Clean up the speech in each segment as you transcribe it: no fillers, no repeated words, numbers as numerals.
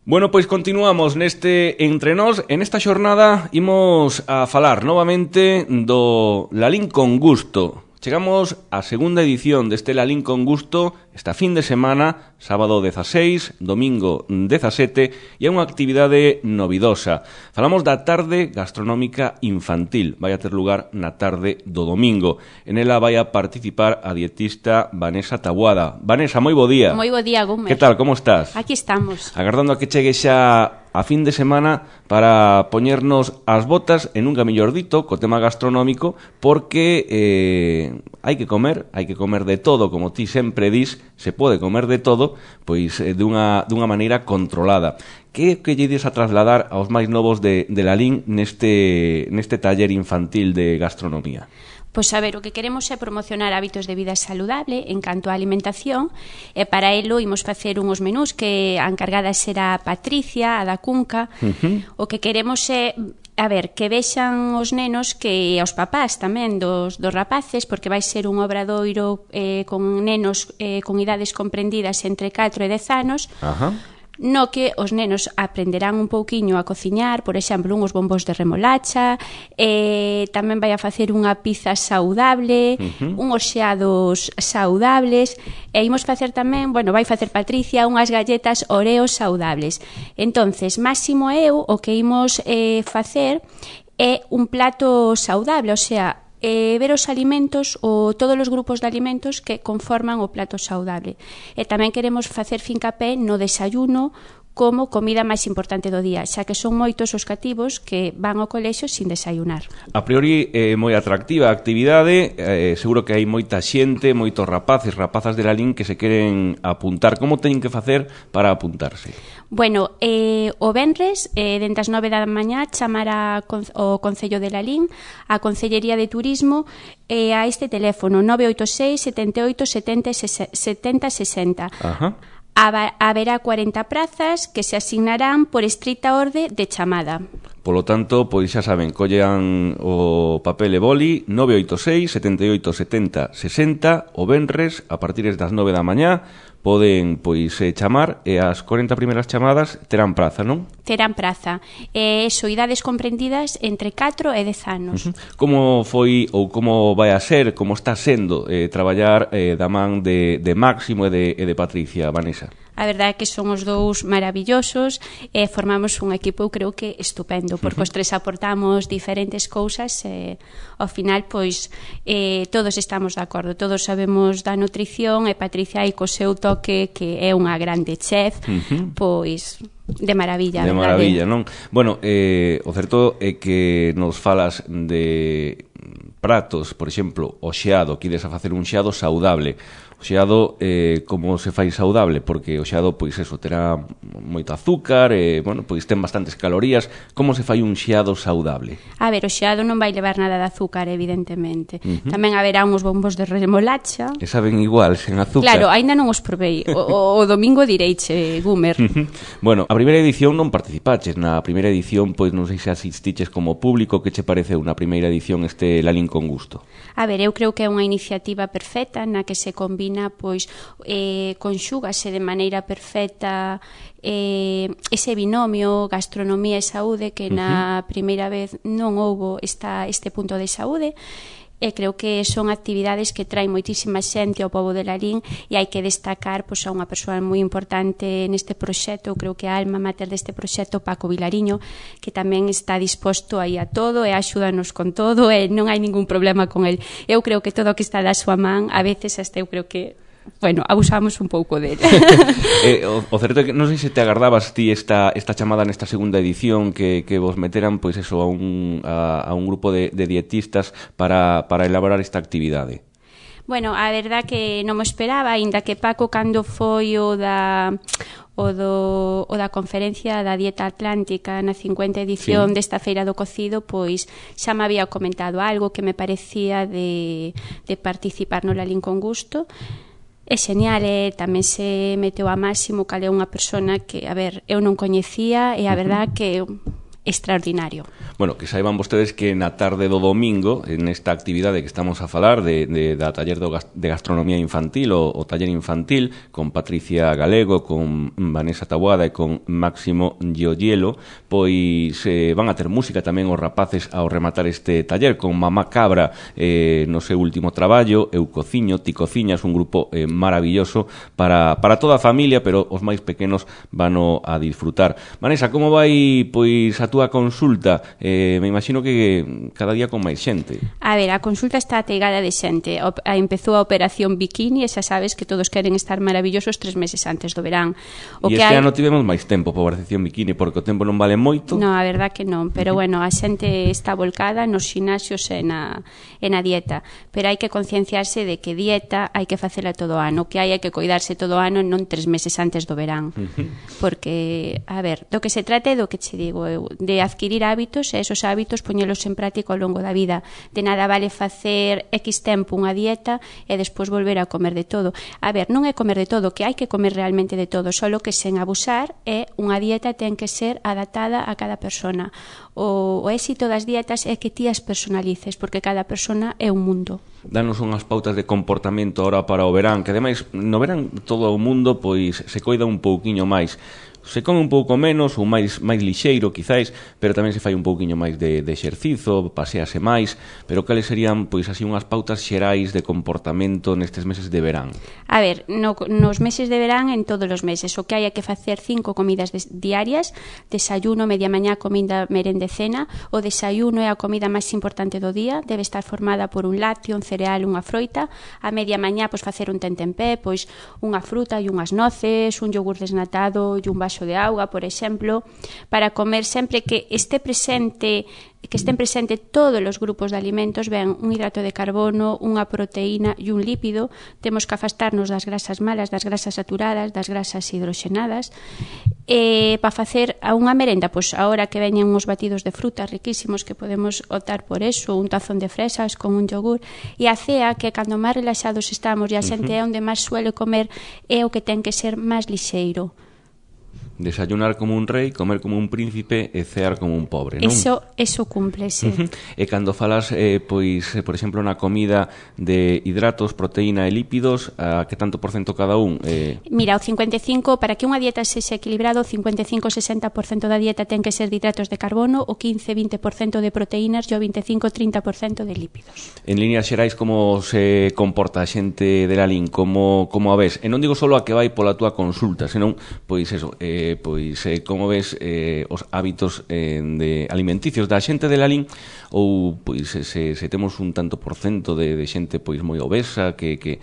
Bueno, pois continuamos neste Entre Nós. En esta xornada imos a falar novamente do Lalín con Gusto. Chegamos á segunda edición deste Lalín con Gusto esta fin de semana, sábado 16, domingo 17, e é unha actividade novidosa. Falamos da tarde gastronómica infantil. Vai a ter lugar na tarde do domingo. En ela vai a participar a dietista Vanessa Taboada. Vanessa, moi bo día. Moi bo día, Gumer. Que tal, como estás? Aquí estamos. Agardando a que chegue xa a fin de semana para poñernos as botas en un mellor dito co tema gastronómico, porque hai que comer de todo, como ti sempre dis, se pode comer de todo, pois dunha maneira controlada. Que lle ides a trasladar aos máis novos de Lalín neste taller infantil de gastronomía? Pois a ver, o que queremos é promocionar hábitos de vida saludable en canto á alimentación, e para elo imos facer unhos menús que a encargada será Patricia, a da Cunca. O que queremos é, a ver, que vexan os nenos, que aos papás tamén dos rapaces, porque vai ser un obradoiro con nenos con idades comprendidas entre 4 e 10 anos. No que os nenos aprenderán un pouquiño a cociñar, por exemplo, unhos bombos de remolacha, tamén vai a facer unha pizza saudable, unhos xeados saudables, e imos facer tamén, bueno, vai facer Patricia, unhas galletas Oreo saudables. Entonces, Máximo e eu o que imos facer é un plato saudable, o sea, ver os alimentos ou todos os grupos de alimentos que conforman o plato saudable. E tamén queremos facer fincapé no desayuno como comida máis importante do día, xa que son moitos os cativos que van ao colexio sin desayunar. A priori é moi atractiva a actividade, seguro que hai moita xente, moitos rapazes, rapazas de Lalín que se queren apuntar. Como teñen que facer para apuntarse? Bueno, o venres, dende as 9 da mañá, chamar o Concello de Lalín, a Concellería de Turismo, a este teléfono 986 78 70 60. Haberá 40 prazas que se asignarán por estricta orde de chamada. Polo tanto, pois xa saben, collan o papel e boli 986 78 70 60 o venres a partir das 9 da mañá. Poden, pois, chamar e as 40 primeiras chamadas terán praza, non? Terán praza. Idades comprendidas entre 4 e 10 anos. Como foi ou como vai a ser, como está sendo traballar da man de Máximo e de Patricia, Vanessa? A verdade é que son os dous maravillosos e formamos un equipo, eu creo que estupendo, porque os tres aportamos diferentes cousas e ao final, pois, todos estamos de acordo, todos sabemos da nutrición e Patricia aí co seu toque, que é unha grande chef, pois de maravilla. De maravilla, non? Bueno, o certo é que nos falas de pratos, por exemplo, o xeado, que ides a facer un xeado saudable. O xeado, como se fai saudable? Porque o xeado, pois eso, terá moito azúcar, bueno, pois ten bastantes calorías. Como se fai un xeado saudable? A ver, o xeado non vai levar nada de azúcar, evidentemente. Tamén haberá uns bombos de remolacha. Que saben igual, sen azúcar. Claro, aínda non os provei. O domingo direiche, Gumer. Bueno, a primeira edición non participaches. Na primeira edición, pois non sei se asistiches como público. Que che pareceu na primeira edición este Lalín con Gusto? A ver, eu creo que é unha iniciativa perfecta na que se combina, pois, conxúgase de maneira perfecta ese binomio gastronomía e saúde que na primeira vez non houbo este punto de saúde. E creo que son actividades que traen moitísima xente ao pobo de Lalín e hai que destacar, pois, a unha persoa moi importante neste proxecto. Creo que a alma mater deste proxecto, Paco Vilariño, que tamén está disposto aí a todo e axúdanos con todo e non hai ningún problema con el. Eu creo que todo o que está da súa man, a veces hasta eu creo que, bueno, abusamos un pouco dele. O certo é que non sei se te agardabas ti esta chamada nesta segunda edición que vos meteran, pois eso, a un grupo de dietistas para elaborar esta actividade. Bueno, a verdad que non me esperaba, aínda que Paco, cando foi o da conferencia da Dieta Atlántica na 50 edición desta Feira do Cocido, pois xa me había comentado algo que me parecía de participar no Lalín con Gusto. É genial, tamén se meteu a Máximo, cal é unha persona que, a ver, eu non coñecía, e a verdad que extraordinario. Bueno, que saiban vostedes que na tarde do domingo, nesta actividade que estamos a falar da taller de gastronomía infantil, o taller infantil, con Patricia Galego, con Vanessa Taboada e con Máximo Gioiello, pois van a ter música tamén os rapaces ao rematar este taller, con Mamá Cabra no seu último traballo, Eu Cociño, Ti Cociñas, un grupo maravilloso para toda a familia, pero os máis pequenos vano a disfrutar. Vanessa, como vai pois a túa consulta? Me imagino que cada día con máis xente. A ver, a consulta está ateigada de xente. Empezou a operación Bikini e xa sabes que todos queren estar maravillosos 3 meses antes do verán. E este ano tivemos máis tempo para a operación Bikini, porque o tempo non vale moito. Non, a verdad que non, pero bueno, a xente está volcada nos xinasios e na dieta, pero hai que concienciarse de que dieta hai que facela todo o ano, que hai que coidarse todo o ano, non 3 meses antes do verán. Porque, a ver, do que se trata é do que che digo eu, de adquirir hábitos e esos hábitos poñelos en práctica ao longo da vida. De nada vale facer X tempo unha dieta e despois volver a comer de todo. A ver, non é comer de todo, que hai que comer realmente de todo, solo que sen abusar, e unha dieta ten que ser adaptada a cada persona. O éxito das dietas é que ti as personalices, porque cada persona é un mundo. Danos unhas pautas de comportamento ahora para o verán, que ademais no verán todo o mundo pois se coida un pouquiño máis. Se come un pouco menos ou máis lixeiro, quizáis, pero tamén se fai un pouquiño máis de exercizo, pasease máis, pero cales serían, pois, así unhas pautas xerais de comportamento nestes meses de verán? A ver, nos meses de verán, en todos os meses, o que hai é que facer 5 comidas diarias, desayuno, media mañá, comida, merenda e cena. O desayuno é a comida máis importante do día, debe estar formada por un lácteo, un cereal, unha froita. A media mañá, pois, facer un tentempié, pois, unha fruta e unhas noces, un yogur desnatado e un vaso de auga, por exemplo, para comer sempre que estén presente todos os grupos de alimentos, ben un hidrato de carbono, unha proteína e un lípido. Temos que afastarnos das grasas malas, das grasas saturadas, das grasas hidroxenadas. Para facer unha merenda, pois agora que veñen uns batidos de frutas riquísimos, que podemos optar por eso, un tazón de fresas con un yogur. E a cea, que cando máis relaxados estamos e a xente é onde máis suele comer, é o que ten que ser máis lixeiro. Desayunar como un rei, comer como un príncipe e cear como un pobre, non? Eso cúmplese. E cando falas, pois, por exemplo, na comida de hidratos, proteína e lípidos, a que tanto por cento cada un? Mira, o 55, para que unha dieta sexa equilibrado, o 55-60% da dieta ten que ser de hidratos de carbono, o 15-20% de proteínas e o 25-30% de lípidos. En líneas xerais, como se comporta a xente de Lalín? Como a ves? E non digo só a que vai pola túa consulta, senón, pois eso, como ves os hábitos de alimenticios da xente de Lalín, ou pois se temos un tanto por cento de xente pois moi obesa, que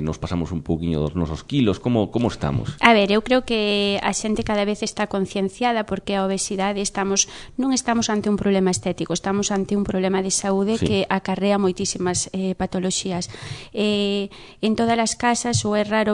nos pasamos un pouquiño dos nosos kilos, como estamos? A ver, eu creo que a xente cada vez está concienciada, porque a obesidade non estamos ante un problema estético, estamos ante un problema de saúde, sí, que acarrea moitísimas patoloxías. En todas as casas ou é raro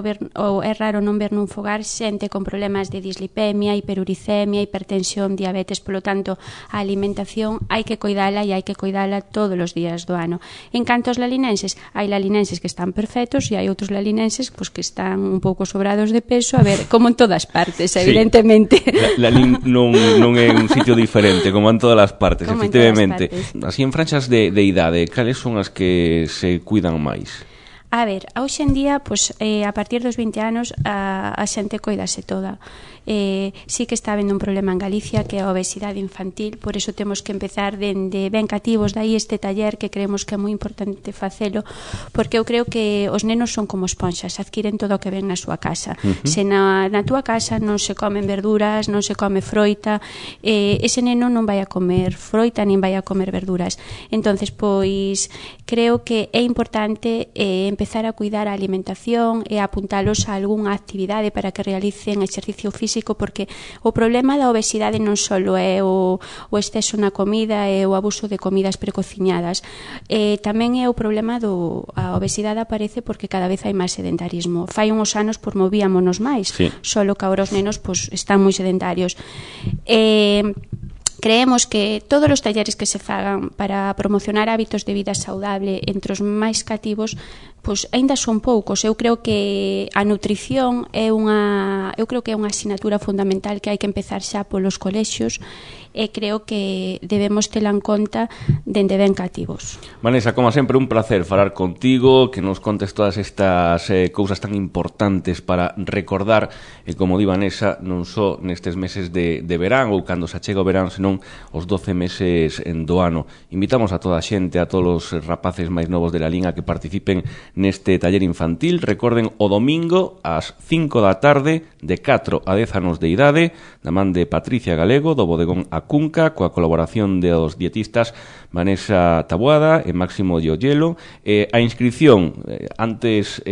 non ver nun fogar xente con problemas de dislipemia, hiperuricemia, hipertensión, diabetes. Polo tanto, a alimentación hai que coidala e hai que coidala todos os días do ano. En canto aos lalinenses, hai lalinenses que están perfectos e hai outros lalinenses pois, que están un pouco sobrados de peso, a ver, como en todas partes, evidentemente. Sí. Lalín non é un sitio diferente, como en todas as partes, como efectivamente. Así, en franxas de idade, cales son as que se cuidan máis? A ver, hoxe en día, pois, a partir dos 20 anos, a xente coidase toda. Sí que está habendo un problema en Galicia, que é a obesidade infantil, por eso temos que empezar dende ben cativos, dai este taller que creemos que é moi importante facelo, porque eu creo que os nenos son como esponxas, adquiren todo o que ven na súa casa. Se na túa casa non se comen verduras, non se come froita, ese neno non vai a comer froita nin vai a comer verduras. Entonces, pois, creo que é importante empezar a cuidar a alimentación e apuntalos a algunha actividade para que realicen exercicio físico, porque o problema da obesidade non só é o exceso na comida e o abuso de comidas precociñadas, tamén é o problema a obesidade aparece porque cada vez hai máis sedentarismo. Fai uns anos por movíamonos máis, sí, solo que agora os nenos pois, están moi sedentarios. creemos que todos os talleres que se fagan para promocionar hábitos de vida saudable entre os máis cativos, pois aínda son poucos. Eu creo que a nutrición é unha asignatura fundamental que hai que empezar xa polos colexios, e creo que debemos tela en conta dende ben cativos. Vanessa, como sempre, un placer falar contigo, que nos contes todas estas cousas tan importantes para recordar, e como di Vanessa, non só nestes meses de verán ou cando se achega o verán, senón os 12 meses do ano. Invitamos a toda a xente, a todos os rapaces máis novos de la Lín a que participen neste taller infantil. Recorden, o domingo ás 5 da tarde, de 4 a 10 anos de idade, da man de Patricia Galego, do bodegón A Cunca, coa colaboración dos dietistas Vanessa Taboada e Máximo Llollelo. A inscripción, antes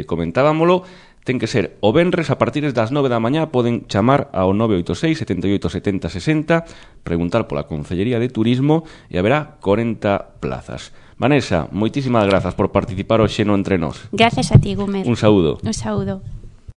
comentábamolo, ten que ser o venres a partir das 9 da mañá. Poden chamar ao 986 78 70 60, preguntar pola Concellería de Turismo e haberá 40 plazas. Vanessa, moitísimas grazas por participar hoxe no Entre Nós. Gracias a ti, Gumer. Un saúdo. Un saúdo.